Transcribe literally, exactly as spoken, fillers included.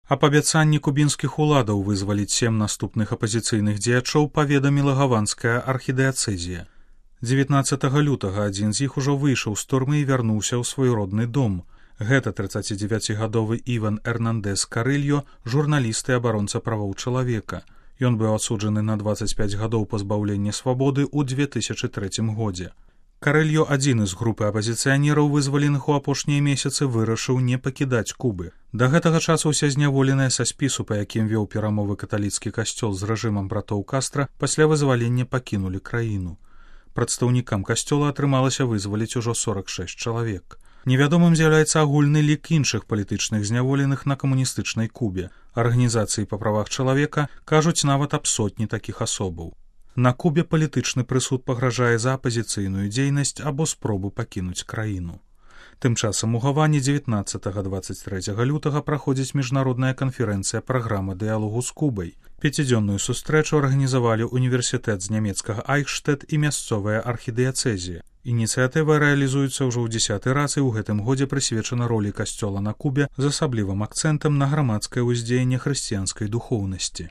Аб абяцанні кубінскіх уладаў вызваліць сем наступных апазіцыйных дзеячоў паведаміла гаванская архідыяцэзія. дзевятнаццатага лютага адзін з іх ужо выйшаў з турмы і вярнуўся ў свой родны дом. Гэта трыццацідзевяцігадовы Іван Эрнандес Карыльо, журналіст і абаронца правоў чалавека. Ён быў адсуджаны на дваццаць пяць гадоў пазбаўлення свабоды ў две тысячы трэцім годзе. Карыльо, адзіны з групы апазіцыянераў, вызваленых у апошнія месяцы, вырашыў не пакідаць Кубы. Да гэтага часу ўсе зняволеныя са спісу, па якім вёў перамовы каталіцкі касцёл з рэжымам братоў Кастра, пасля вызвалення пакінулі краіну. Прадстаўнікам касцёла атрымалася вызваліць ужо сорак шэсць чалавек. Невядомым з'яўляецца агульны лік іншых палітычных зняволеных на камуністычнай Кубе. Арганізацыі па правах чалавека кажуць нават аб сотні такіх асобаў. На Кубе палітычны прысуд пагражае за апазіцыйную дзейнасць або спробу пакінуць краіну. Тым часам у Гаване дзевятнаццатага - дваццаць трэцяга лютага праходзіць міжнародная канферэнцыя праграма дыялогу з Кубай. Пяцідзённую сустрэчу арганізавалі універсітэт з нямецкага Айхштэт і мясцовая архідыяцэзія. Ініцыятыва рэалізуецца ўжо ў дзесяты раз і ў гэтым годзе прысвечана ролі касцёла на Кубе з асаблівым акцэнтам на грамадскае ўздзеянне хрысціянскай духоўнасці.